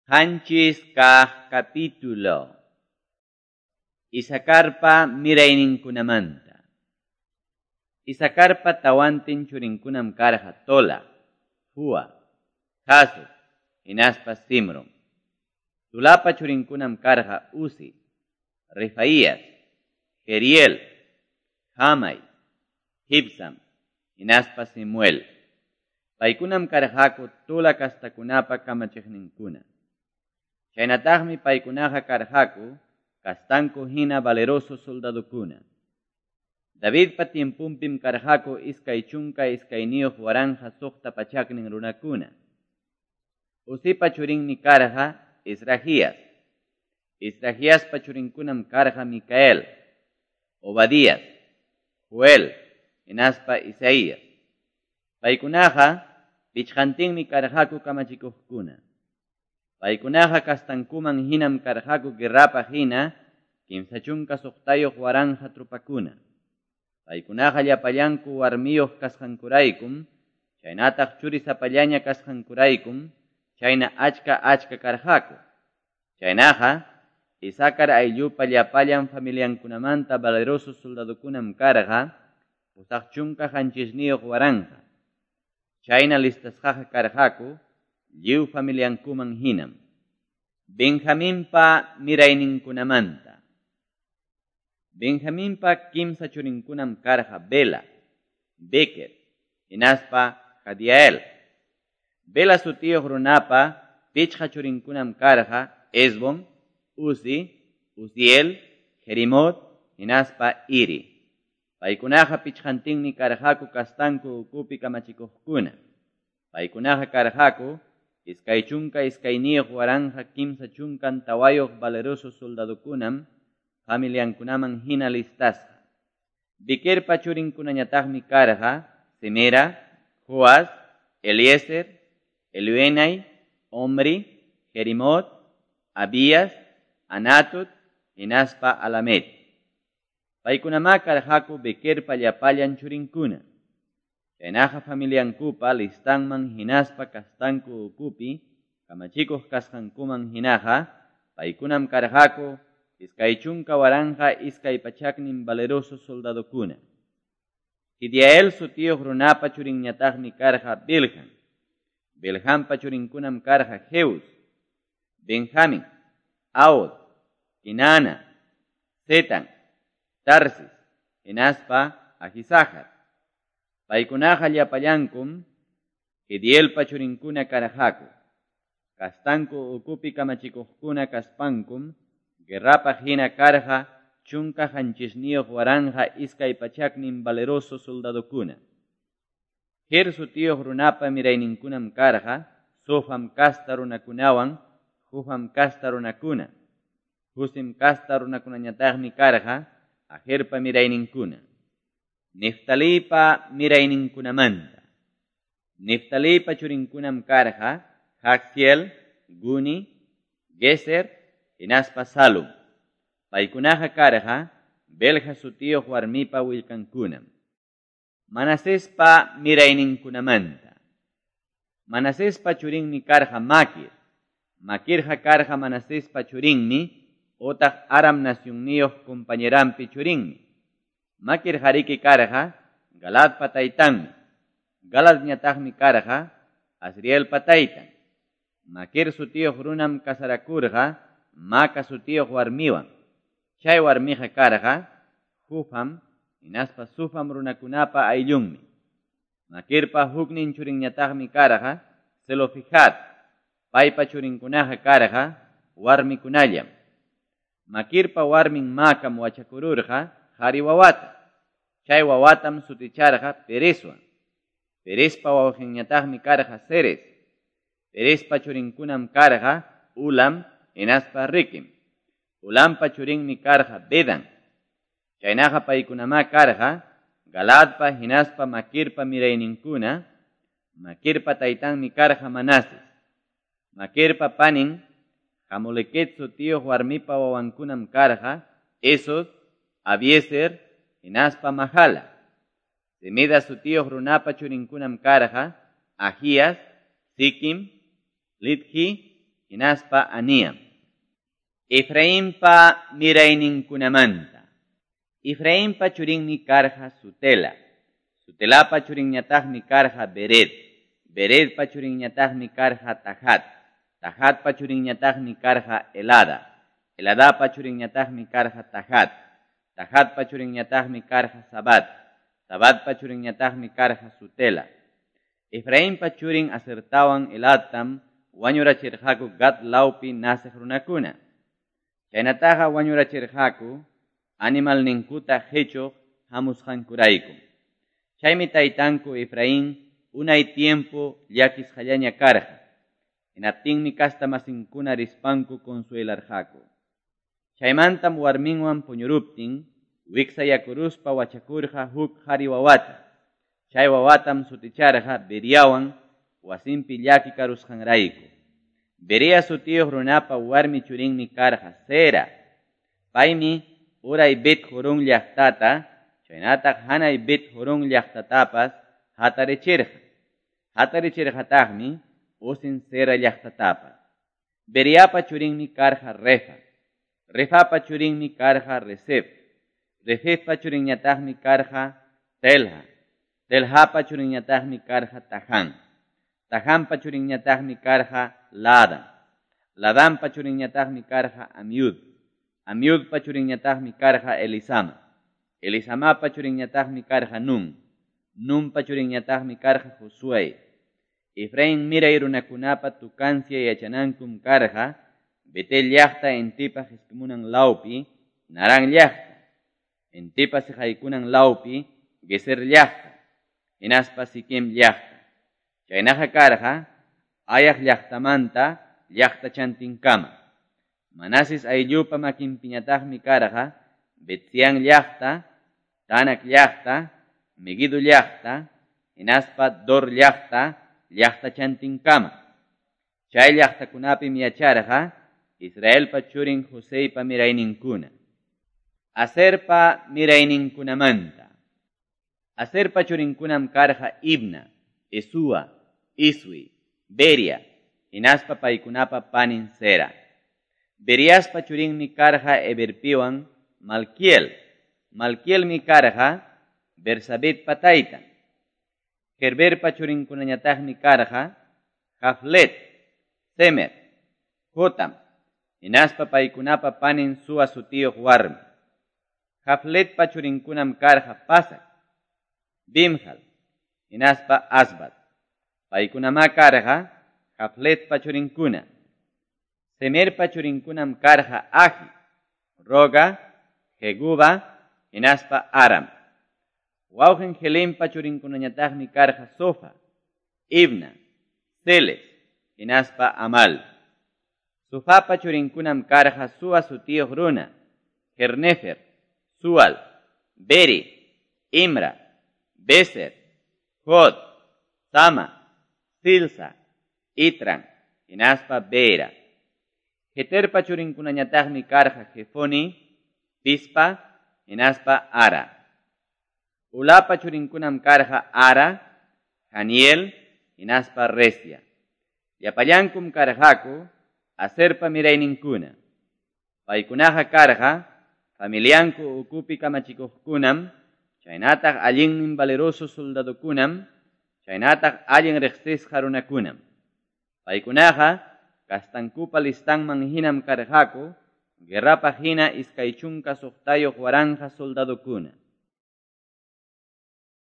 Qanchis kaq capítulo. Isacarpa mirayninkunamanta. Isacarpa tawantin churinkunam karqa Tola, Fua, Jasub, hinaspa Simron. Tulapa churinkunam karqa Uzi, Refaías, Jeriel, Jamai, Jibsam, hinaspa Simuel. Paykunam karqaku Tula kastakunapa kamachiqninkuna. Chaynataqmi paykunaqa karqaku kastanku hina valeroso soldadukuna. Davidpa tiempunpim karqaku 22,600 runakuna. Uzipa churinmi karqa Israhías. Israhíaspa churinkunam karqa Micael, Obadías, Joel, hinaspa Isaías. Paykunaqa pichqantinmi karqaku kamachikuqkuna. Paykunaqa kastankuman hinam karqaku guerrapaq hina 36,000 trupakuna. Paykunaqa llapallanku warmiyuq kasqankuraykum, chaynataq churisapallaña kasqankuraykum, chayna achka achka karqaku. Chaynaqa Isacar ayllupa llapallan familiankunamanta valeroso soldadukunam karqa 87,000. Chayna listasqaqa karqaku lliw familiankuman hinam. Benjaminpa mirayninkunamanta. Benjaminpa kimsa churinkunam karqa Bela, Beker, hinaspa Jadiael. Bela sutiyuq runapa pichqa churinkunam karqa Esbon, Uzi, Uziel, Jerimot, hinaspa Iri. Paykunaqa pichqantinmi karqaku kastanku ukupi kamachikuqkuna. Paykunaqa karqaku 22,334 valeroso soldadukunam familiankunaman hina listasqa. Bekerpa churinkunañataqmi karqa Semera, Joas, Eliezer, Elioenai, Omri, Jerimot, Abías, Anatut, hinaspa Alamet. Paykunamá karqaku Bekerpa llapallan churinkuna. Chaynaqa familiankupa listanman hinaspa kastanku ukupi kamachikuq kasqankuman hinaqa paykunam karqaku 20,200 valeroso soldadukuna. Jediael sutiyuq runapa churinñataqmi karqa Bilhan. Bilhanpa churinkunam karqa Jeus, Benjamin, Aod, Kinana, Zetan, Tarsis, hinaspa Ahisajar. Paykunaqa llapallankum Jedielpa churinkuna karqaku. Kastanku ukupi kamachikuqkuna kaspankum guerrapaq hina karqa 17,200 valeroso soldadukuna. Jer sutiyuq runapa mirayninkunam karqa Sofam kasta runakunawan Jufam kasta runakuna. Husim kasta runakunañataqmi karqa Ajerpa mirayninkuna. Neftalipa mirayninkunamanta. Neftalipa churinkunam karqa Jaxiel, Guni, Geser, hinaspa Salum. Paykunaqa karqa Belja sutiyuq warmipa willkankunam. Manasespa mirayninkunamanta. Manasespa churinmi karqa Maquir. Maquirqa karqa Manasespa churinmi otaq Aram nacionniyuq compañeranpi churinmi. Maquir hariki karqa Galadpa taytanmi. Galadñataqmi karqa Asrielpa taytan. Maquir sutiyuq runam kasarakurqa Maca sutiyuq warmiwan. Chay warmiqa karqa Jufam hinaspa Sufam runakunapa ayllunmi. Maquirpa huknin churinñataqmi karqa Zelofijad. Paypa churinkunaqa karqa warmikunallam. Maquirpa warmin Macam wachakururqa qhari wawata. Chay wawatam suticharqa Perezwan. Perezpa wawqinñataqmi karqa Ceres. Perezpa churinkunam karqa Ulam hinaspa Rikim. Ulampa churinmi karqa Bedan. Chaynaqa paykunamá karqa Galadpa hinaspa Maquirpa mirayninkuna. Maquirpa taytanmi karqa Manases. Maquirpa panin Hamoleket sutiyuq warmipa wawankunam karqa Esod, Abiezer, hinaspa Mahala. Semida sutiyuq runapa churinkunam karqa Ahías, Siquim, Lidji, hinaspa Aniam. Efrainpa mirayninkunamanta. Efrainpa churinmi karqa Sutela. Sutelapa churinñataqmi karqa Bered. Beredpa churinñataqmi karqa Tahat. Tahatpa churinñataqmi karqa Elada. Eladapa churinñataqmi karqa Tahat. Tahatpa churinñataqmi karqa Sabat. Sabatpa churinñataqmi karqa Sutela. Efrainpa churin Asertawan Eladtam wañurachirqaku Gat lawpi naceq runakuna. Chaynataqa wañurachirqaku animalninkuta qichuq hamusqankurayku. Chaymi taytanku Efraín unay tiempo llakisqallaña karqa. Hinaptinmi kasta masinkuna rispanku consuelarqaku. Chaymantam warminwan puñuruptin wiksayakuruspa wachakurqa huk qhari wawata. Chay wawatam suticharqa Beriawan wasinpi llaki karusqanrayku. Beria sutiyuq runapa warmi churinmi karqa Sera. Paymi uray Bet Jorón llaqtata, chaynataq hanay Bet Jorón llaqtatapas hatarichirqa. Hatarichirqataqmi Usin Sera llaqtatapas. Beriapa churinmi karqa Refa. Refapa churinmi karqa Resef. Refefpa churinñataqmi karqa Telha. Telhapa churinñataqmi karqa Taján. Tajanpa churinñataqmi karqa Ladan. Ladanpa churinñataqmi karqa Amiud. Amiudpa churinñataqmi karqa Elisama. Elisamapa churinñataqmi karqa Nun. Nunpa churinñataqmi karqa Josué. Efraín miray runakunapa tukancia yachanankum karqa Betel llaqta intipa qispimunan lawpi Narán llaqta. Intipa siqaykunan lawpi Geser llaqta. Hinaspa Siquem llaqta. Chaynaqa karqa Ayaq llaqtamanta llaqtachantinkama. Manases ayllupa makinpiñataqmi karqa Betzián llaqta, Tanak llaqta, Meguido llaqta, hinaspa Dor llaqta, llaqtachantinkama. Chay llaqtakunapim yacharqa Israelpa churin Joseypa mirayninkuna. Aserpa mirayninkunamanta. Aserpa churinkunam karqa Ibna, Esúa, Isui, Beria, hinaspa paykunapa panin Sera. Beriaspa churinmi karqa Eberpiwan Malquiel. Malquielmi karqa Bersabetpa taytan. Gerberpa churinkunañataqmi karqa Jaflet, Semer, Jotam, hinaspa paykunapa panin Sua sutiyuq warmi. Jafletpa churinkunam karqa Pasak, Bimhal, hinaspa Asbat. Paykunamá karqa Jafletpa churinkuna. Semerpa churinkunam karqa Ahi, Roga, Jeguba, hinaspa Aram. Wawqin Helempa churinkunañataqmi karqa Sofa, Ibna, Seles, hinaspa Amal. Sofapa churinkunam karqa Sua sutiyuq runa, Jernefer, Sual, Beri, Imra, Beser, Jod, Sama, Silsa, Itran, hinaspa Beera. Jeterpa churinkunañataqmi karqa Jefoni, Pispa, hinaspa Ara. Ulapa churinkunam karqa Ara, Janiel, hinaspa Resia. Llapallankum karqaku Aserpa mirayninkuna. Paykunaqa karqa familianku ukupi kamachikuqkunam, chaynataq allinnin valeroso soldadokunam, chaynataq allin riqsisqa runakunam. Paykunaqa kastankupa listanman hinam karqaku, guerrapaq hina 26,000 soldadokuna.